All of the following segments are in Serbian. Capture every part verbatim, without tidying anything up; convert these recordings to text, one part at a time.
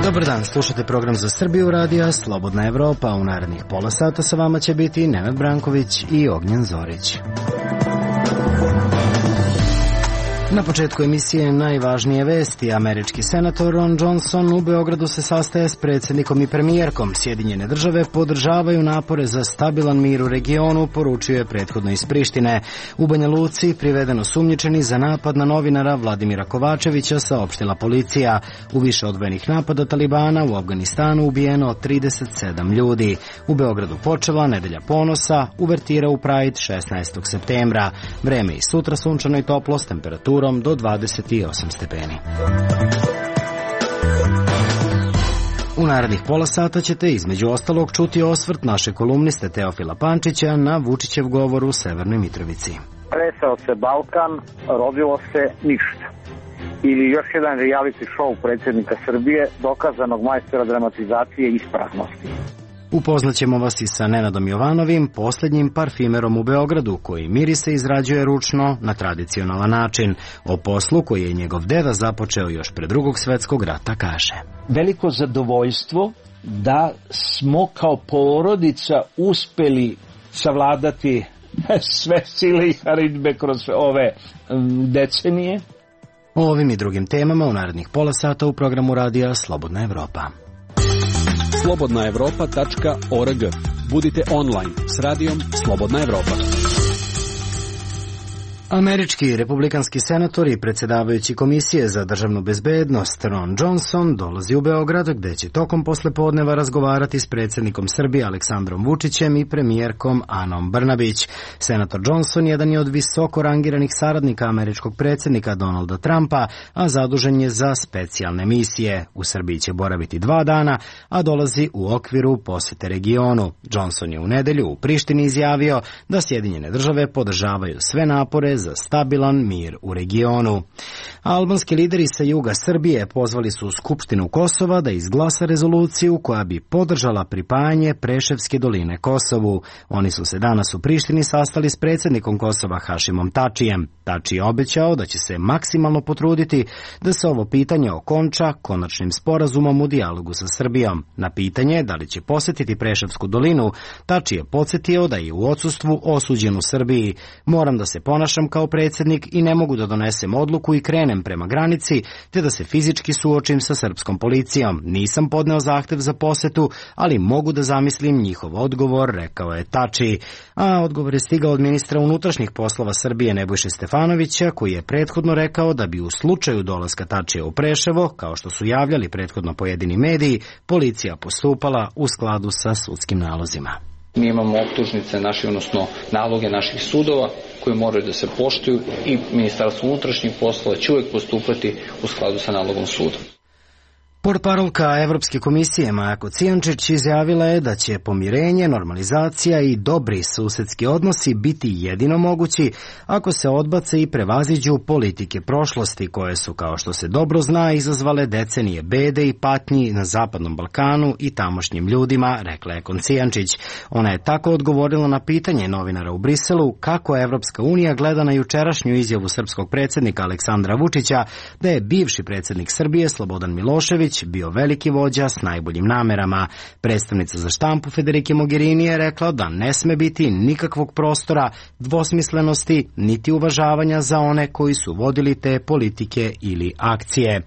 Dobar dan, slušate program za Srbiju radija Slobodna Evropa. U narednih pola sata sa vama će biti Nenad Branković i Ognjen Zorić. Na početku emisije najvažnije vesti. Američki senator Ron Johnson u Beogradu se sastaje s predsjednikom i premijerkom. Sjedinjene države podržavaju napore za stabilan mir u regionu, poručio je prethodno iz Prištine. U Banja Luci priveden osumnjičeni za napad na novinara Vladimira Kovačevića, saopštila policija. U više odvojenih napada Talibana u Afganistanu ubijeno trideset sedam ljudi. U Beogradu počela nedelja ponosa, uvertira u Pride šesnaestog septembra. Vreme i sutra sunčano i toplo s temperaturom do dvadeset osam stepeni. U narednih pola sata ćete između ostalog čuti osvrt naše kolumniste Teofila Pančića na Vučićev govor u Severnoj Mitrovici. Tresao se Balkan, rodilo se ništa. Ili još jedan reality show predsjednika Srbije, dokazanog majstora dramatizacije i ispraznosti. Upoznaćemo vas i sa Nenadom Jovanovim, posljednjim parfimerom u Beogradu, koji mirise izrađuje ručno na tradicionalan način. O poslu koji je njegov deda započeo još pre Drugog svjetskog rata kaže: veliko zadovoljstvo da smo kao porodica uspeli savladati sve sile i haridbe kroz ove decenije. O ovim i drugim temama u narednih pola sata u programu radija Slobodna Evropa. slobodna evropa tačka org. Budite online s radijom Slobodna Evropa. Američki republikanski senator i predsjedavajući Komisije za državnu bezbednost Ron Johnson dolazi u Beograd, gde će tokom poslepodneva razgovarati s predsjednikom Srbije Aleksandrom Vučićem i premijerkom Anom Brnabić. Senator Johnson jedan je od visoko rangiranih saradnika američkog predsjednika Donalda Trumpa, a zadužen je za specijalne misije. U Srbiji će boraviti dva dana, a dolazi u okviru posete regionu. Johnson je u nedelju u Prištini izjavio da Sjedinjene države podržavaju sve napore za stabilan mir u regionu. Albanski lideri sa juga Srbije pozvali su Skupštinu Kosova da izglasa rezoluciju koja bi podržala pripajanje Preševske doline Kosovu. Oni su se danas u Prištini sastali s predsjednikom Kosova Hašimom Tačijem. Tači je obećao da će se maksimalno potruditi da se ovo pitanje okonča konačnim sporazumom u dijalogu sa Srbijom. Na pitanje da li će posjetiti Preševsku dolinu, Tači je podsjetio da je u odsustvu osuđen u Srbiji. Moram da se ponašam kao predsjednik i ne mogu da donesem odluku i krenem prema granici, te da se fizički suočim sa srpskom policijom. Nisam podneo zahtev za posetu, ali mogu da zamislim njihov odgovor, rekao je Tači. A odgovor je stigao od ministra unutrašnjih poslova Srbije Nebojše Stefanovića, koji je prethodno rekao da bi u slučaju dolaska Tačija u Preševo, kao što su javljali prethodno pojedini mediji, policija postupala u skladu sa sudskim nalozima. Mi imamo optužnice naše, odnosno naloge naših sudova koje moraju da se poštuju i Ministarstvo unutrašnjih poslova će uvijek postupati u skladu sa nalogom suda. Portparolka Evropske komisije Maja Kocijančić izjavila je da će pomirenje, normalizacija i dobri susedski odnosi biti jedino mogući ako se odbace i prevaziđu politike prošlosti koje su, kao što se dobro zna, izazvale decenije bede i patnji na Zapadnom Balkanu i tamošnjim ljudima, rekla je Kocijančić. Ona je tako odgovorila na pitanje novinara u Briselu kako Evropska unija gleda na jučerašnju izjavu srpskog predsjednika Aleksandra Vučića da je bivši predsjednik Srbije Slobodan Milošević bio veliki vođa s najboljim namerama. Predstavnica za štampu Federike Mogherini je rekla da ne sme biti nikakvog prostora dvosmislenosti niti uvažavanja za one koji su vodili te politike ili akcije.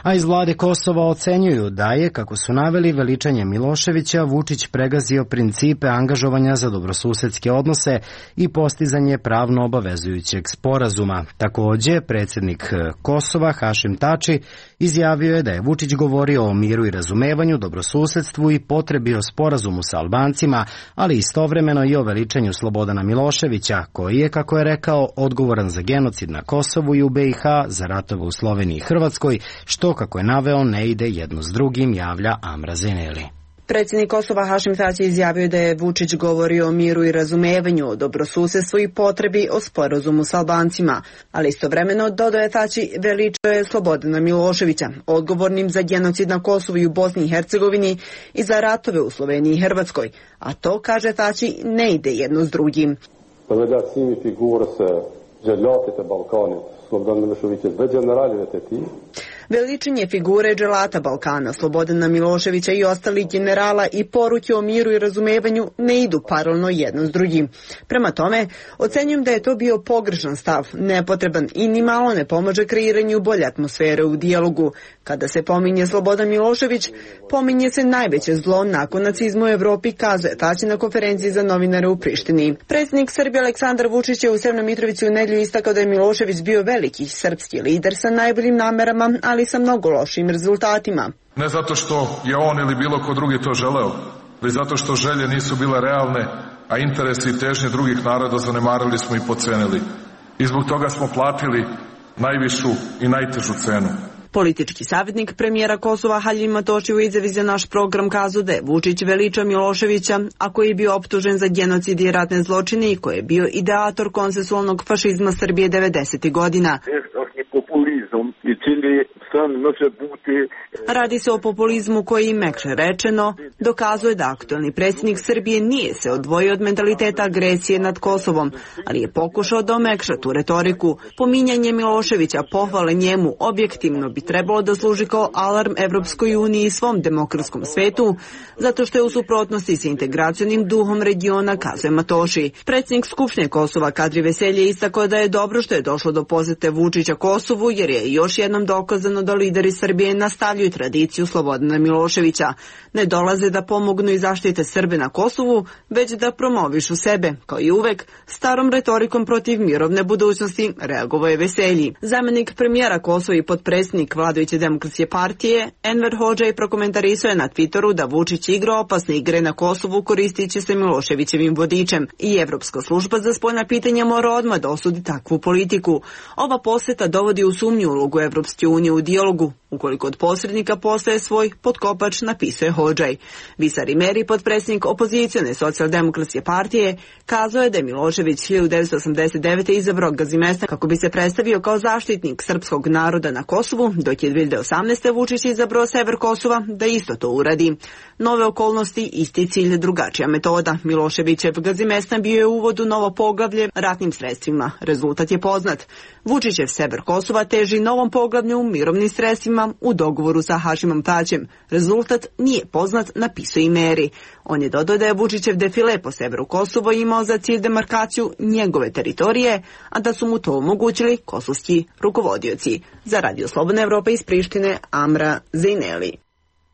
A iz vlade Kosova ocenjuju da je, kako su naveli, veličanje Miloševića Vučić pregazio principe angažovanja za dobrosusedske odnose i postizanje pravno obavezujućeg sporazuma. Također, predsjednik Kosova Hašim Tači izjavio je da je Vučić govorio o miru i razumevanju, dobrosusedstvu i potrebi o sporazumu sa Albancima, ali istovremeno i o veličanju Slobodana Miloševića, koji je, kako je rekao, odgovoran za genocid na Kosovu i u B i H, za ratove u Sloveniji i Hrvatskoj, što, kako je naveo, ne ide jedno s drugim, javlja Amra Zeneli. Predsjednik Kosova Hašim Tači izjavio da je Vučić govorio o miru i razumevanju, o dobrosusedstvu i potrebi o sporazumu s Albancima, ali istovremeno, dodao je Tači, veličao je Slobodana Miloševića, odgovornim za genocid na Kosovu i u Bosni i Hercegovini i za ratove u Sloveniji i Hrvatskoj, a to, kaže Tači, ne ide jedno s drugim. Veličanje figure dželata Balkana, Slobodana Miloševića i ostalih generala i poruke o miru i razumevanju ne idu paralelno jedno s drugim. Prema tome, ocenjujem da je to bio pogrešan stav, nepotreban i ni malo ne pomaže kreiranju bolje atmosfere u dijalogu. Kada se pominje Slobodan Milošević, pominje se najveće zlo nakon nacizma u Evropi, kazuje Tać na konferenciji za novinare u Prištini. Predsjednik Srbije Aleksandar Vučić je u Severnoj Mitrovici u nedjelju istakao da je Milošević bio veliki srpski lider sa najboljim namerama, ali sa mnogo lošim rezultatima. Ne zato što je on ili bilo ko drugi to želeo, već zato što želje nisu bile realne, a interesi i težnje drugih naroda zanemarili smo i podcenili. I zbog toga smo platili najvišu i najtežu cenu. Politički savjetnik premijera Kosova Haljim Matoši u izjavi za naš program kazao da je Vučić veliča Miloševića, a koji je bio optužen za genocid i ratne zločine i koji je bio ideator konsensualnog fašizma Srbije devedesetih godina. Radi se o populizmu koji, mekše rečeno, dokazuje da aktuelni predsjednik Srbije nije se odvojio od mentaliteta agresije nad Kosovom, ali je pokušao da omekša tu retoriku. Pominjanje Miloševića, pohvale njemu, objektivno bi trebalo da služi kao alarm Evropskoj uniji i svom demokratskom svetu, zato što je u suprotnosti sa integracionim duhom regiona, kazuje Matoši. Predsjednik Skupštine Kosova Kadri Veselje istakao da je dobro što je došlo do posete Vučića Kosovu, jer je još jednom dokazano da lideri Srbije nastavljaju tradiciju Slobodana Miloševića. Ne dolaze da pomognu i zaštite Srbe na Kosovu, već da promovišu sebe. Kao i uvek, starom retorikom protiv mirovne budućnosti reagovao je Veselji. Zamenik premijera Kosova i potpredsjednik vladajuće demokratske partije Enver Hodžaj prokomentarisao je na Twitteru da Vučić igra opasne igre na Kosovu koristići se Miloševićevim vodičem i Evropska služba za spoljna pitanja mora odmah da osudi takvu politiku. Ova poseta dovodi u sumnju ulogu Evropske unije u dijalogu, ukoliko od posrednika postaje svoj potkopač, napisuje Hodžaj. Visari Meri, potpredsjednik opozicione socijaldemokratske partije, kazao je da je Milošević hiljadu devetsto osamdeset devete. izabrao Gazimesta kako bi se predstavio kao zaštitnik srpskog naroda na Kosovu, dok je dve hiljade osamnaeste. Vučić izabrao sever Kosova da isto to uradi. Nove okolnosti, isti cilj, drugačija metoda. Miloševićev Gazimestan bio je uvod u novo poglavlje ratnim sredstvima. Rezultat je poznat. Vučićev sever Kosova teži novom poglavlju mirovnim sredstvima u dogovoru sa Hašimom Taćem. Rezultat nije poznat, napisao i Meri. On je dodao da je Vučićev defile po severu Kosovo imao za cilj demarkaciju njegove teritorije, a da su mu to omogućili kosovski rukovodioci. Za Radio Slobodna Evropa iz Prištine, Amra Zejneli.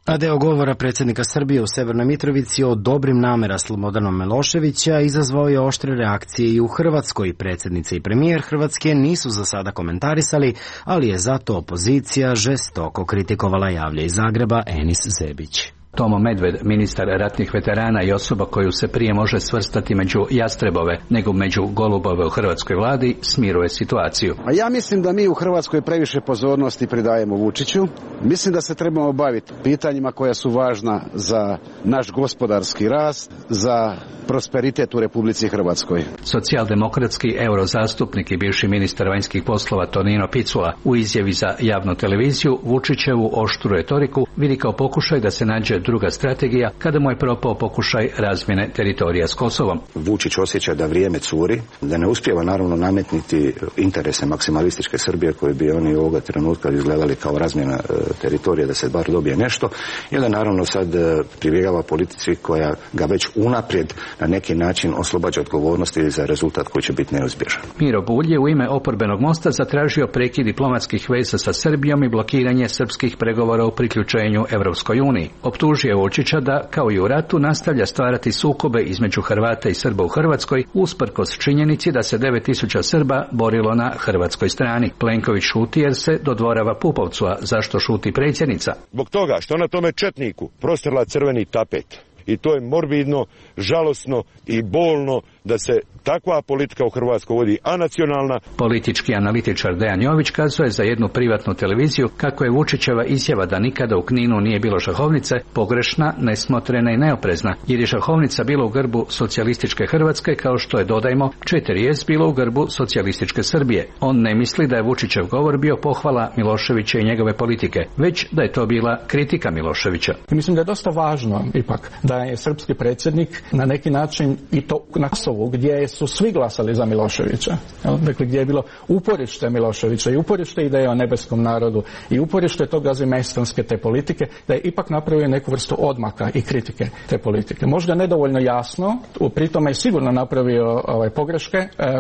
A deo govora predsjednika Srbije u Severnoj Mitrovici o dobrim namera Slobodana Miloševića izazvao je oštre reakcije i u Hrvatskoj. Predsjednica i premijer Hrvatske nisu za sada komentarisali, ali je zato opozicija žestoko kritikovala, javlja iz Zagreba Enis Zebić. Tomo Medved, ministar ratnih veterana i osoba koju se prije može svrstati među jastrebove nego među golubove u hrvatskoj vladi, smiruje situaciju. A ja mislim da mi u Hrvatskoj previše pozornosti pridajemo Vučiću. Mislim da se trebamo baviti pitanjima koja su važna za naš gospodarski rast, za prosperitet u Republici Hrvatskoj. Socijaldemokratski eurozastupnik i bivši ministar vanjskih poslova Tonino Picula u izjavi za javnu televiziju Vučićevu oštru retoriku vidi kao pokušaj da se nađe druga strategija kada mu je propao pokušaj razmjene teritorija s Kosovom. Vučić osjeća da vrijeme curi, da ne uspijeva naravno nametniti interese maksimalističke Srbije koje bi oni ovoga trenutka izgledali kao razmjena e, teritorija, da se bar dobije nešto, i da naravno sad e, pribjegava politici koja ga već unaprijed na neki način oslobađa odgovornosti za rezultat koji će biti neizbježan. Miro Bulj je u ime oporbenog mosta zatražio prekid diplomatskih veza sa Srbijom i blokiranje srpskih pregovora u priključenju Evropskoj uniji. Optužio je Vučića da, kao i u ratu, nastavlja stvarati sukobe između Hrvata i Srba u Hrvatskoj, usprkos činjenici da se devet tisuća Srba borilo na hrvatskoj strani. Plenković šuti jer se dodvorava Pupovcu, a zašto šuti predsjednica? Zbog toga što na tome četniku prostrla crveni tapet. I to je morbidno, žalosno i bolno da se takva politika u Hrvatskoj vodi anacionalna. Politički analitičar Dejan Jović kazuje za jednu privatnu televiziju kako je Vučićeva izjava da nikada u Kninu nije bilo šahovnice pogrešna, nesmotrena i neoprezna, jer je šahovnica bila u grbu socijalističke Hrvatske, kao što je, dodajmo, četiri es bilo u grbu socijalističke Srbije. On ne misli da je Vučićev govor bio pohvala Miloševića i njegove politike, već da je to bila kritika Miloševića. Mislim da je dosta važno ipak da je srpski predsjednik na neki način i to na Kosovu Kosovu, gdje su svi glasali za Miloševića, dakle gdje je bilo uporište Miloševića i uporište ideje o nebeskom narodu i uporište tog gazimejstanske te politike, da je ipak napravio neku vrstu odmaka i kritike te politike. Možda nedovoljno jasno, pri tome je sigurno napravio ovaj, pogreške,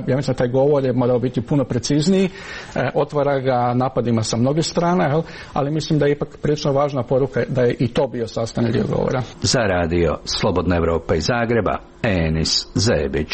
ja mislim da taj govor je morao biti puno precizniji, otvara ga napadima sa mnoge strane, jel? Ali mislim da je ipak prilično važna poruka da je i to bio sastavni dio govora. Za radio Slobodna Evropa iz Zagreba, Enis Zebić.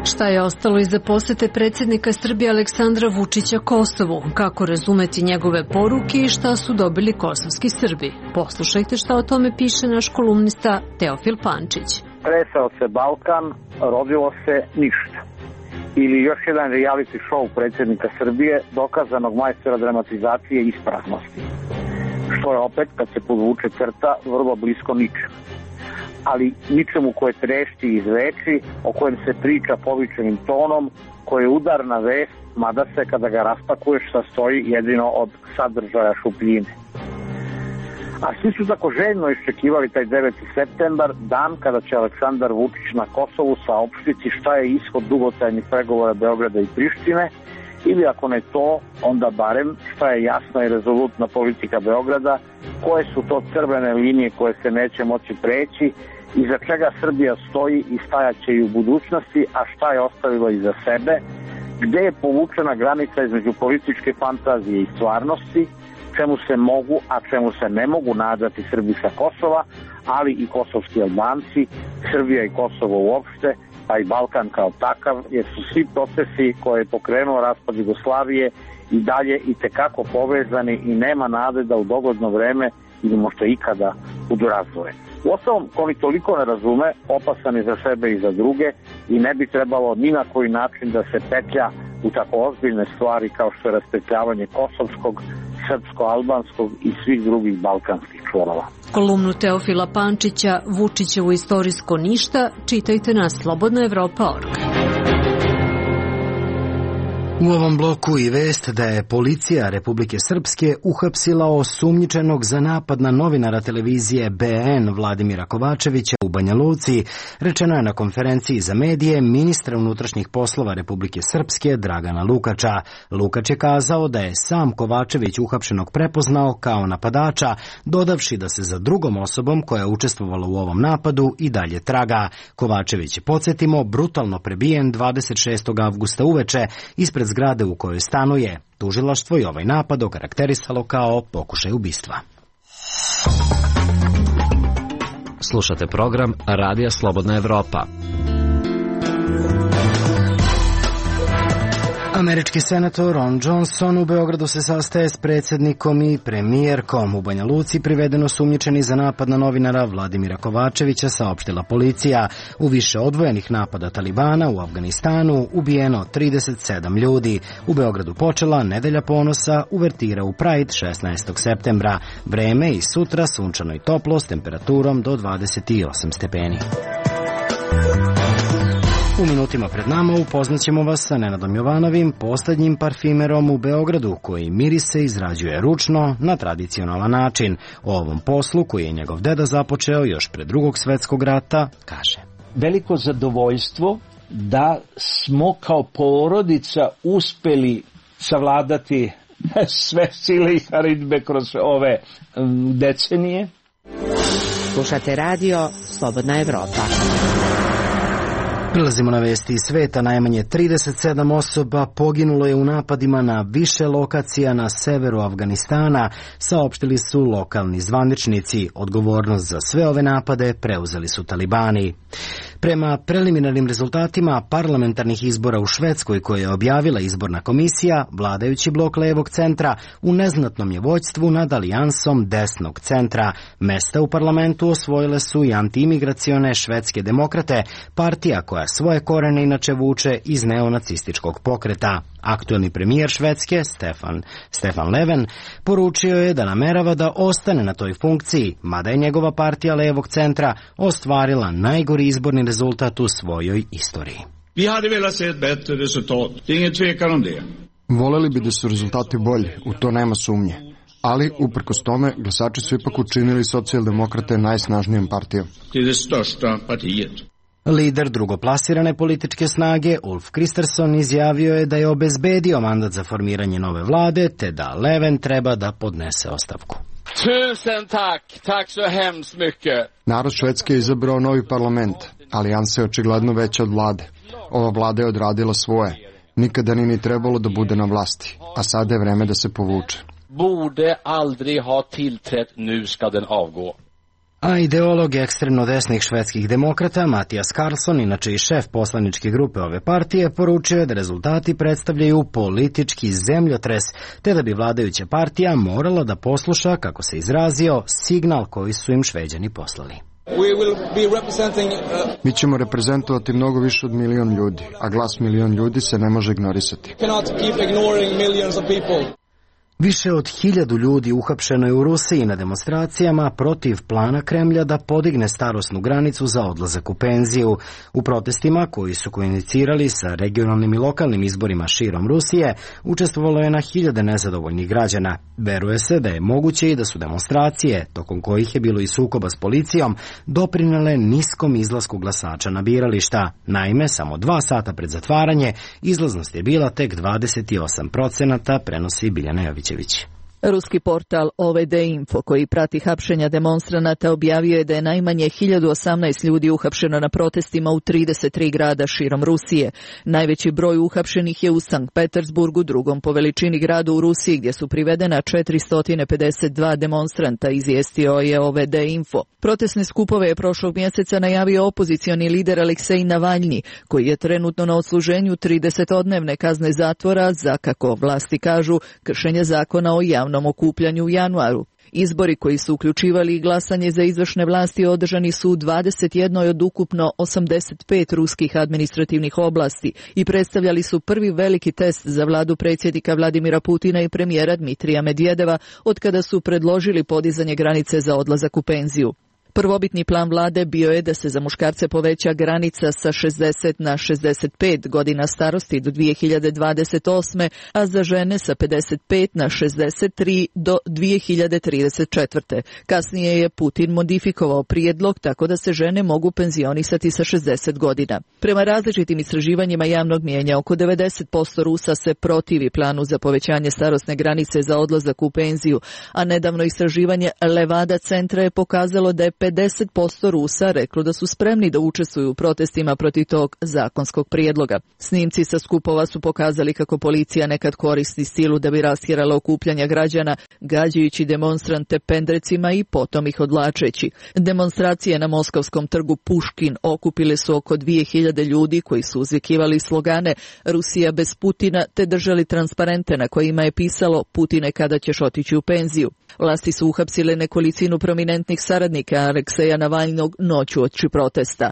Šta je ostalo iza posete predsjednika Srbije Aleksandra Vučića Kosovu? Kako razumeti njegove poruke i šta su dobili kosovski Srbi? Poslušajte šta o tome piše naš kolumnista Teofil Pančić. Tresao se Balkan, rodilo se ništa. Ili još jedan reality show predsjednika Srbije, dokazanog majstora dramatizacije i ispraznosti. Što je opet, kad se podvuče crta, vrlo blisko ničemu. Ali ničemu koje trešti iz reči, o kojem se priča povičenim tonom, koje je udarna vest, mada se kada ga raspakuješ sastoji jedino od sadržaja šupljine. A svi su tako željno iščekivali taj deveti septembar, dan kada će Aleksandar Vučić na Kosovu saopštiti šta je ishod dugotrajnih pregovora Beograda i Prištine, ili ako ne to, onda barem šta je jasna i rezolutna politika Beograda, koje su to crvene linije koje se neće moći preći, iza čega Srbija stoji i stajaće i u budućnosti, a šta je ostavila iza sebe, gde je povučena granica između političke fantazije i stvarnosti, čemu se mogu, a čemu se ne mogu nadati Srbi sa Kosova, ali i kosovski Albanci, Srbija i Kosovo uopšte, pa i Balkan kao takav, jer su svi procesi koje je pokrenuo raspad Jugoslavije i dalje i tekako povezani i nema nade da u dogodno vreme ili možda ikada budu razdvoje. Uostalom, ko ni toliko ne razume, opasan je za sebe i za druge i ne bi trebalo ni na koji način da se petlja u tako ozbiljne stvari kao što je raspetljavanje kosovskog, srpsko-albanskog i svih drugih balkanskih čvorova. Kolumnu Teofila Pančića Vučićevo istorijsko ništa čitajte na slobodna evropa tačka org. U ovom bloku i vest da je policija Republike Srpske uhapsila osumnjičenog za napad na novinara televizije B N Vladimira Kovačevića u Banja Luci, rečeno je na konferenciji za medije ministra unutrašnjih poslova Republike Srpske Dragana Lukača. Lukač je kazao da je sam Kovačević uhapšenog prepoznao kao napadača, dodavši da se za drugom osobom koja je učestvovala u ovom napadu i dalje traga. Kovačević je, podsjetimo, brutalno prebijen dvadeset šestog avgusta uveče ispred zgrade u kojoj stanuje. Tužilaštvo i ovaj napad okarakterisalo kao pokušaj ubistva. Slušate program Radija Slobodna Evropa. Američki senator Ron Johnson u Beogradu se sastaje s predsjednikom i premijerkom. U Banja Luci privedeno sumnjičeni za napad na novinara Vladimira Kovačevića, saopštila policija. U više odvojenih napada Talibana u Afganistanu ubijeno trideset sedam ljudi. U Beogradu počela nedelja ponosa, uvertira u Pride šesnaestog septembra. Vreme i sutra sunčano i toplo s temperaturom do dvadeset osam stepeni. U minutima pred nama upoznaćemo vas sa Nenadom Jovanovim, poslednjim parfimerom u Beogradu, koji mirise izrađuje ručno na tradicionalan način. O ovom poslu, koji je njegov deda započeo još pred drugog svetskog rata, kaže: veliko zadovoljstvo da smo kao porodica uspeli savladati sve sile i haridbe kroz ove decenije. Slušate radio Slobodna Evropa. Prilazimo na vesti iz sveta. Najmanje trideset sedam osoba poginulo je u napadima na više lokacija na severu Afganistana, saopštili su lokalni zvaničnici. Odgovornost za sve ove napade preuzeli su Talibani. Prema preliminarnim rezultatima parlamentarnih izbora u Švedskoj, koje je objavila izborna komisija, vladajući blok levog centra u neznatnom je vođstvu nad alijansom desnog centra. Mesta u parlamentu osvojile su i antiimigracione švedske demokrate, partija koja svoje korene inače vuče iz neonacističkog pokreta. Aktuelni premijer Švedske, Stefan, Stefan Löfven, poručio je da namerava da ostane na toj funkciji, mada je njegova partija levog centra ostvarila najgori izborni rezultat u svojoj istoriji. Vi hade velat se ett bättre resultat. Det är ingen tvekan om det. Voleli bi da su rezultati bolji, u to nema sumnje. Ali, uprkos tome, glasači su ipak učinili socijaldemokrate najsnažnijom partijom. Lider drugoplasirane političke snage Ulf Kristersson izjavio je da je obezbedio mandat za formiranje nove vlade, te da Löfven treba da podnese ostavku. Tusen tak, tak så hemskt mycket. Narod Švedske je izabrao novi parlament. Alijansa je očigledno veća od vlade. Ova vlada je odradila svoje. Nikada ni ni trebalo da bude na vlasti, a sada je vreme da se povuče. Borde aldrig ha tillträtt, nu ska den avgå. A ideolog ekstremno desnih švedskih demokrata Mattias Karlsson, inače i šef poslaničke grupe ove partije, poručio je da rezultati predstavljaju politički zemljotres, te da bi vladajuća partija morala da posluša, kako se izrazio, signal koji su im Šveđani poslali. Mi ćemo reprezentovati mnogo više od milion ljudi, a glas milion ljudi se ne može ignorisati. Više od hiljadu ljudi uhapšeno je u Rusiji na demonstracijama protiv plana Kremlja da podigne starosnu granicu za odlazak u penziju. U protestima, koji su koinicirali sa regionalnim i lokalnim izborima širom Rusije, učestvovalo je na hiljade nezadovoljnih građana. Veruje se da je moguće i da su demonstracije, tokom kojih je bilo i sukoba s policijom, doprinele niskom izlasku glasača na birališta. Naime, samo dva sata pred zatvaranje, izlaznost je bila tek dvadeset osam procenata, prenosi Biljana Jović. Ruski portal O V D Info, koji prati hapšenja demonstranata, objavio je da je najmanje hiljadu osamnaest ljudi uhapšeno na protestima u trideset tri grada širom Rusije. Najveći broj uhapšenih je u Sankt Petersburgu, drugom po veličini gradu u Rusiji, gdje su privedena četiristo pedeset dva demonstranta, izvijestio je O V D Info. Protestne skupove je prošlog mjeseca najavio opozicioni lider Aleksej Navalnji, koji je trenutno na odsluženju tridesetodnevne kazne zatvora za, kako vlasti kažu, kršenje zakona o javnom okupljanju u januaru. Izbori koji su uključivali i glasanje za izvršne vlasti održani su u dvadeset jednoj od ukupno osamdeset pet ruskih administrativnih oblasti i predstavljali su prvi veliki test za vladu predsjednika Vladimira Putina i premijera Dmitrija Medvedeva od kada su predložili podizanje granice za odlazak u penziju. Prvobitni plan vlade bio je da se za muškarce poveća granica sa šezdeset na šezdeset pet godina starosti do dvije hiljade dvadeset osme, a za žene sa pedeset pet na šezdeset tri do dvije hiljade trideset četvrte. Kasnije je Putin modifikovao prijedlog tako da se žene mogu penzionisati sa šezdeset godina. Prema različitim istraživanjima javnog mijenja, oko devedeset posto Rusa se protivi planu za povećanje starosne granice za odlazak u penziju, a nedavno istraživanje Levada centra je pokazalo da je pedeset posto Rusa reklo da su spremni da učestvuju u protestima protiv tog zakonskog prijedloga. Snimci sa skupova su pokazali kako policija nekad koristi silu da bi rastjerala okupljanja građana, gađajući demonstrante pendrecima i potom ih odlačeći. Demonstracije na moskovskom trgu Puškin okupile su oko dvije hiljade ljudi koji su uzvikivali slogane Rusija bez Putina te držali transparente na kojima je pisalo Putine kada ćeš otići u penziju. Vlasti su uhapsile nekolicinu prominentnih saradnika Alekseja Navalnog noću oči protesta.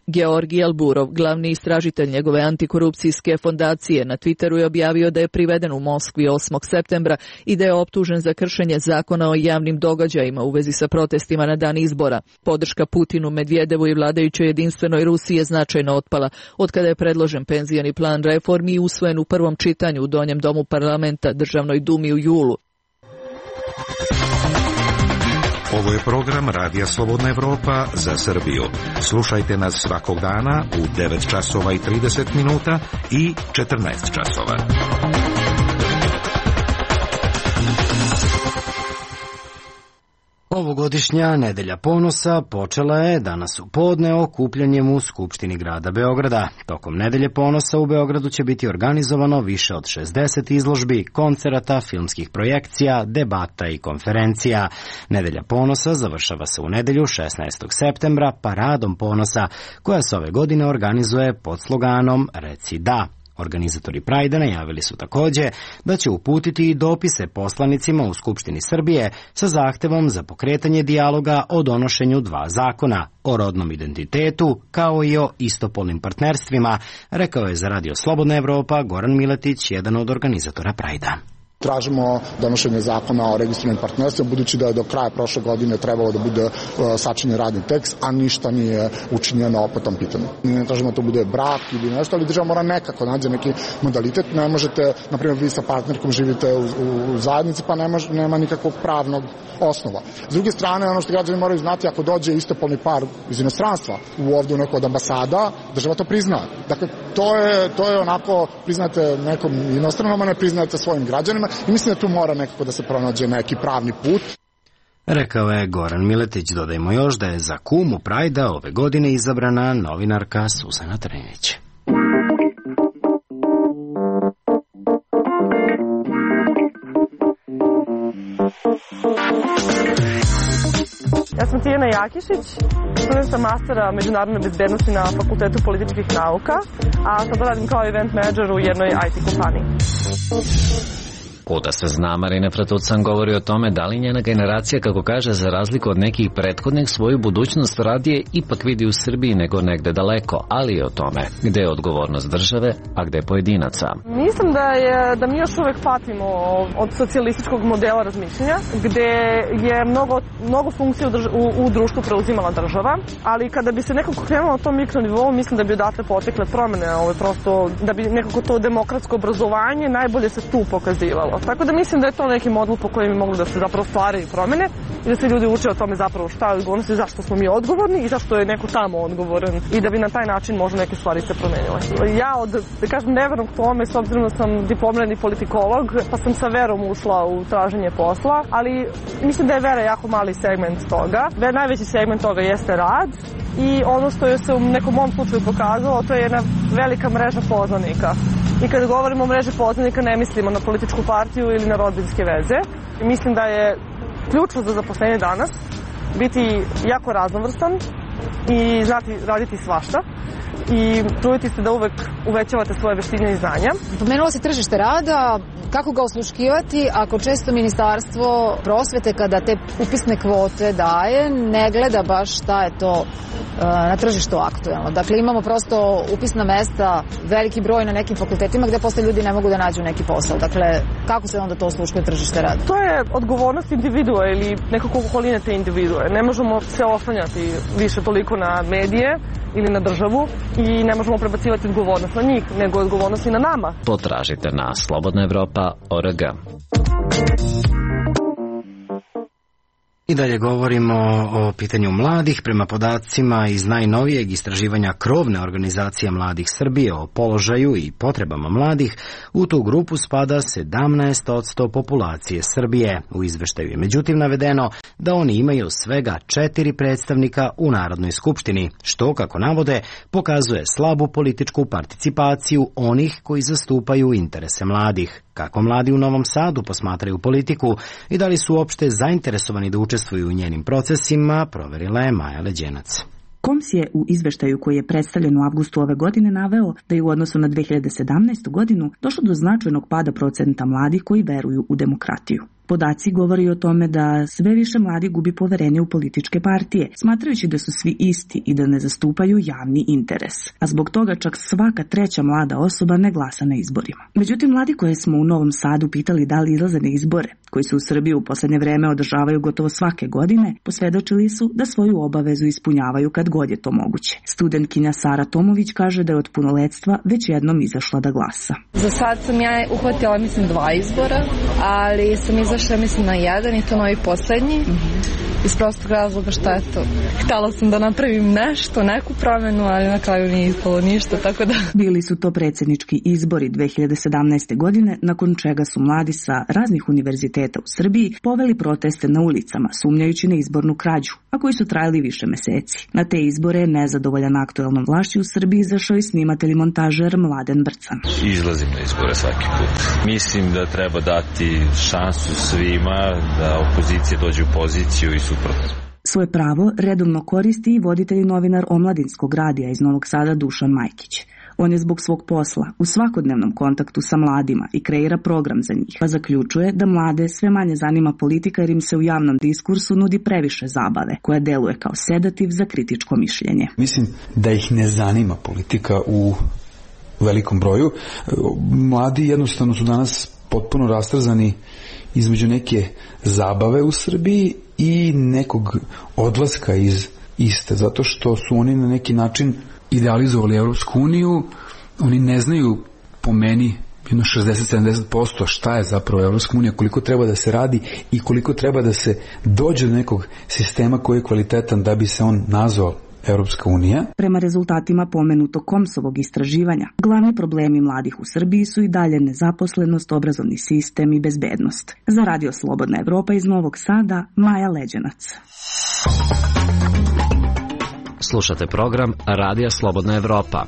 Georgij Alburov, glavni istražitelj njegove antikorupcijske fondacije, na Twitteru je objavio da je priveden u Moskvi osmog septembra i da je optužen za kršenje zakona o javnim događajima u vezi sa protestima na dan izbora. Podrška Putinu, Medvedevu i vladajućoj jedinstvenoj Rusiji je značajno otpala od kada je predložen penzioni plan reformi i usvojen u prvom čitanju u Donjem domu parlamenta Državnoj dumi u julu. Ovo je program Radija Slobodna Evropa za Srbiju. Slušajte nas svakog dana u devet časova i trideset minuta i četrnaest časova. Ovogodišnja Nedelja ponosa počela je danas u podne okupljanjem u Skupštini grada Beograda. Tokom Nedelje ponosa u Beogradu će biti organizovano više od šezdeset izložbi, koncerata, filmskih projekcija, debata i konferencija. Nedelja ponosa završava se u nedelju šesnaestog septembra paradom ponosa, koja se ove godine organizuje pod sloganom Reci da. Organizatori Prajda najavili su takođe da će uputiti i dopise poslanicima u Skupštini Srbije sa zahtevom za pokretanje dijaloga o donošenju dva zakona, o rodnom identitetu kao i o istopolnim partnerstvima, rekao je za Radio Slobodna Evropa Goran Miletić, jedan od organizatora Prajda. Tražimo donošenje zakona o registrovanim partnerstvima, budući da je do kraja prošle godine trebalo da bude sačinjen radni tekst, a ništa nije učinjeno po tom pitanju. Ne tražimo da to bude brak ili nešto, ali država mora nekako nađe neki modalitet. Ne možete, na primjer, vi sa partnerkom živite u, u, u zajednici, pa nema, nema nikakvog pravnog osnova. S druge strane, ono što građani moraju znati, ako dođe istopolni par iz inostranstva u ovdje u neko od ambasada, država to prizna. Dakle, to je, to je onako, priznate nekom inostranom, a ne priznate svojim građanima i mislim da tu mora nekako da se pronađe neki pravni put. Rekao je Goran Miletić. Dodajmo još da je za kumu Prajda ove godine izabrana novinarka Suzana Trninić. Ja sam Tijana Jakišić, studentka mastera međunarodne bezbednosti na Fakultetu političkih nauka, a sada radim kao event menadžer u jednoj I T kompaniji. Kuda se zna, Marina Fratucan govori o tome da li njena generacija, kako kaže, za razliku od nekih prethodnih, svoju budućnost radije ipak vidi u Srbiji nego negde daleko, ali i o tome gde je odgovornost države, a gde pojedinaca. Mislim da, je, da mi još uvek patimo od socijalističkog modela razmišljanja, gde je mnogo, mnogo funkcija u, drž, u, u društvu preuzimala država, ali kada bi se nekako krenulo na tom mikronivou, mislim da bi odatle potekle promene, ove, prosto da bi nekako to demokratsko obrazovanje najbolje se tu pokazivalo. Tako da mislim da je to neki model po kojem bi mogli da se zapravo stvaraju promene i da se ljudi uče o tome zapravo šta je odgovornost i zašto smo mi odgovorni i zašto je neko tamo odgovoran i da bi na taj način možda neke stvari se promenile. Ja od, da kažem, neverom k tome, s obzirom da sam diplomirani politikolog, pa sam sa verom ušla u traženje posla, ali mislim da je vera jako mali segment toga. Najveći segment toga jeste rad i ono što je se u nekom mom slučaju pokazalo, to je jedna velika mreža poznanika. I kada govorimo o mreži poznanika, ne mislimo na političku partiju ili na rodbinske veze. I mislim da je ključno za zaposlenje danas biti jako raznovrstan i znati raditi svašta i truditi se da uvek uvećavate svoje veštine i znanja. Pomenulo se tržište rada, kako ga osluškivati ako često Ministarstvo prosvete kada te upisne kvote daje ne gleda baš šta je to na tržištu aktuelno. Dakle, imamo prosto upisna mesta, veliki broj na nekim fakultetima gde posle ljudi ne mogu da nađu neki posao. Dakle, kako se onda to osluškuje tržište rada? To je odgovornost individua ili nekako okoline te individue. Ne možemo se oslanjati više toliko na medije ili na državu i ne možemo prebacivati odgovornost na njih, nego odgovornost i na nama. Potražite na slobodna evropa tačka org. I dalje govorimo o pitanju mladih. Prema podacima iz najnovijeg istraživanja krovne organizacije Mladih Srbije o položaju i potrebama mladih, u tu grupu spada sedamnaest posto populacije Srbije. U izveštaju je međutim navedeno da oni imaju svega četiri predstavnika u Narodnoj skupštini, što, kako navode, pokazuje slabu političku participaciju onih koji zastupaju interese mladih. Kako mladi u Novom Sadu posmatraju politiku i da li su uopšte zainteresovani da učestvuju u njenim procesima, proverila je Maja Leđenac. Koms je u izveštaju koji je predstavljen u avgustu ove godine naveo da je u odnosu na dve hiljade sedamnaestu. godinu došlo do značajnog pada procenta mladih koji veruju u demokratiju. Podaci govori o tome da sve više mladi gubi poverenje u političke partije, smatrajući da su svi isti i da ne zastupaju javni interes. A zbog toga čak svaka treća mlada osoba ne glasa na izborima. Međutim, mladi koje smo u Novom Sadu pitali da li izlaze na izbore, koji se u Srbiji u poslednje vreme održavaju gotovo svake godine, posvedočili su da svoju obavezu ispunjavaju kad god je to moguće. Studentkinja Sara Tomović kaže da je od punoletstva već jednom izašla da glasa. Za sad sam ja uhvatila, mislim, dva izbora, ali sam izašla, mislim, na jedan i to novi poslednji. Mm-hmm. Iz prostog razloga što je to. Htela sam da napravim nešto, neku promenu, ali na kraju nije ispalo ništa, tako da... Bili su to predsjednički izbori dve hiljade sedamnaeste. godine, nakon čega su mladi sa raznih univerziteta u Srbiji poveli proteste na ulicama, sumnjajući na izbornu krađu, a koji su trajali više meseci. Na te izbore, nezadovoljan aktuelnom vlašću u Srbiji, izašao i snimatelj i montažer Mladen Brcan. Izlazim na izbore svaki put. Mislim da treba dati šansu svima, da opozicija dođe u poziciju i suprotno. Svoje pravo redovno koristi i voditelj i novinar Omladinskog radija iz Novog Sada Dušan Majkić. On je zbog svog posla u svakodnevnom kontaktu sa mladima i kreira program za njih, pa zaključuje da mlade sve manje zanima politika jer im se u javnom diskursu nudi previše zabave, koja deluje kao sedativ za kritičko mišljenje. Mislim da ih ne zanima politika u velikom broju. Mladi jednostavno su danas potpuno rastrzani između neke zabave u Srbiji i nekog odlaska iz iste, zato što su oni na neki način idealizovali Evropsku uniju, oni ne znaju po meni jedno šezdeset do sedamdeset posto šta je zapravo Evropska unija, koliko treba da se radi i koliko treba da se dođe do nekog sistema koji je kvalitetan da bi se on nazvao Evropska unija. Prema rezultatima pomenutog Komsovog istraživanja, glavni problemi mladih u Srbiji su i dalje nezaposlenost, obrazovni sistem i bezbednost. Za Radio Slobodna Evropa iz Novog Sada, Maja Leđenac. Slušate program Radija Slobodna Evropa.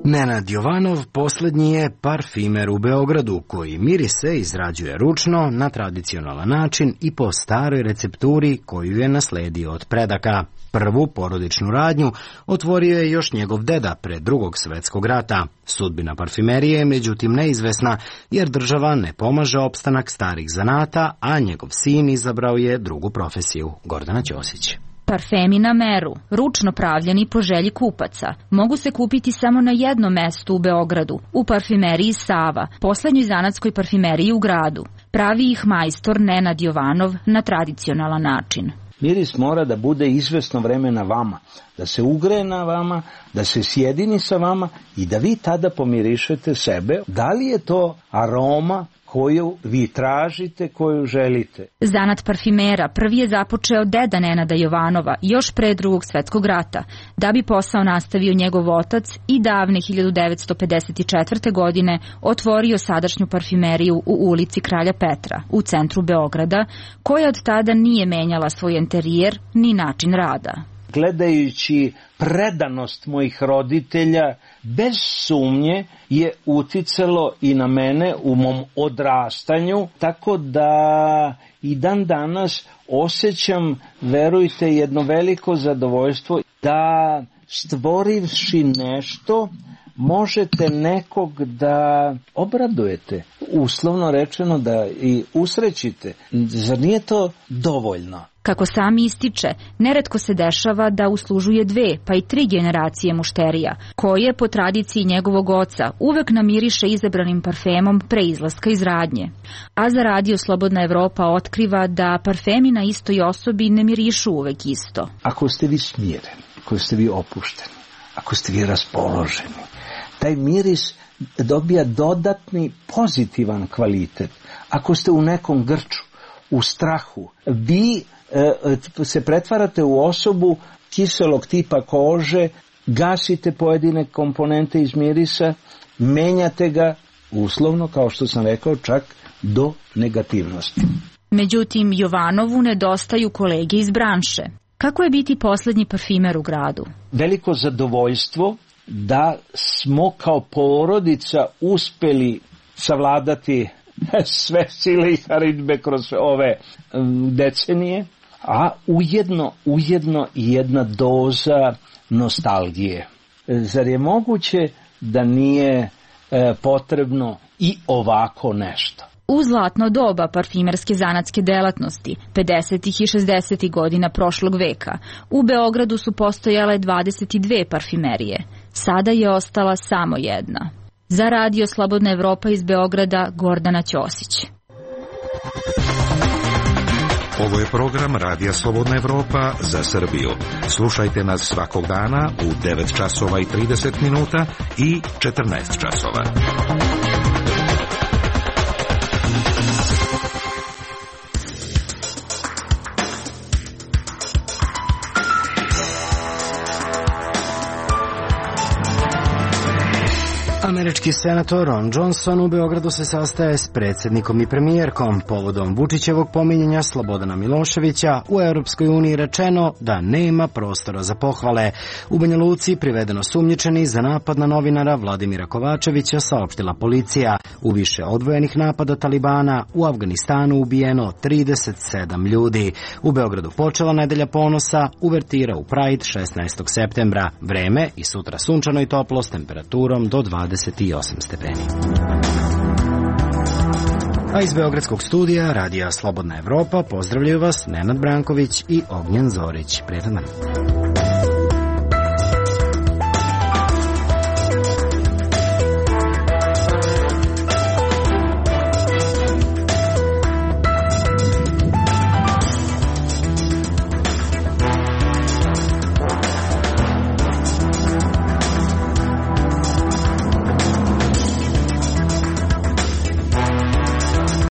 Nenad Jovanov poslednji je parfimer u Beogradu koji mirise izrađuje ručno na tradicionalan način i po staroj recepturi koju je nasledio od predaka. Prvu porodičnu radnju otvorio je još njegov deda pre Drugog svetskog rata. Sudbina parfimerije je međutim neizvesna jer država ne pomaže opstanak starih zanata, a njegov sin izabrao je drugu profesiju. Gordana Ćosić. Parfemi na meru, ručno pravljeni po želji kupaca, mogu se kupiti samo na jednom mestu u Beogradu, u parfimeriji Sava, poslednjoj zanatskoj parfimeriji u gradu. Pravi ih majstor Nenad Jovanov na tradicionalan način. Miris mora da bude izvesno vreme na vama, da se ugreje na vama, da se sjedini sa vama i da vi tada pomirišete sebe. Da li je to aroma koju vi tražite, koju želite? Zanat parfimera prvi je započeo deda Nenada Jovanova još pre Drugog svetskog rata, da bi posao nastavio njegov otac i davne hiljadu devetsto pedeset četvrte. godine otvorio sadašnju parfimeriju u ulici Kralja Petra, u centru Beograda, koja od tada nije menjala svoj interijer ni način rada. Gledajući predanost mojih roditelja, bez sumnje je uticalo i na mene u mom odrastanju, tako da i dan danas osjećam, verujte, jedno veliko zadovoljstvo da stvorivši nešto možete nekog da obradujete, uslovno rečeno da i usrećite. Zar nije to dovoljno? Kako sam ističe, neretko se dešava da uslužuje dve pa i tri generacije mušterija, koje po tradiciji njegovog oca uvek namiriše izabranim parfemom pre izlaska iz radnje. A za Radio Slobodna Evropa otkriva da parfemi na istoj osobi ne mirišu uvek isto. Ako ste vi smireni, ako ste vi opušteni, ako ste vi raspoloženi, taj miris dobija dodatni pozitivan kvalitet. Ako ste u nekom grču, u strahu, vi e, se pretvarate u osobu kiselog tipa kože, gasite pojedine komponente iz mirisa, menjate ga uslovno, kao što sam rekao, čak do negativnosti. Međutim, Jovanovu nedostaju kolege iz branše. Kako je biti poslednji parfimer u gradu? Veliko zadovoljstvo da smo kao porodica uspeli savladati sve sile i haridbe kroz ove decenije, a ujedno, ujedno i jedna doza nostalgije. Zar je moguće da nije e, potrebno i ovako nešto? U zlatno doba parfimerske zanatske delatnosti, pedesetih i šezdesetih godina prošlog veka, u Beogradu su postojale dvadeset dve parfimerije. Sada je ostala samo jedna. Za Radio Slobodna Evropa iz Beograda, Gordana Ćosić. Ovo je program Radija Slobodna Evropa za Srbiju. Slušajte nas svakog dana u devet časova i trideset minuta i četrnaest časova. Američki senator Ron Johnson u Beogradu se sastaje s predsjednikom i premijerkom. Povodom Vučićevog pominjanja Slobodana Miloševića u Europskoj uniji rečeno da nema prostora za pohvale. U Banja Luci privedeno sumnjičeni za napad na novinara Vladimira Kovačevića, saopštila policija. U više odvojenih napada Talibana u Afganistanu ubijeno trideset sedam ljudi. U Beogradu počela nedelja ponosa, uvertira u Pride šesnaestog septembra. Vreme i sutra sunčano i toplo s temperaturom do dvadeset osam stepeni. A iz Beogradskog studija Radija Slobodna Evropa pozdravljaju vas Nenad Branković i Ognjen Zorić. Prijetan dan.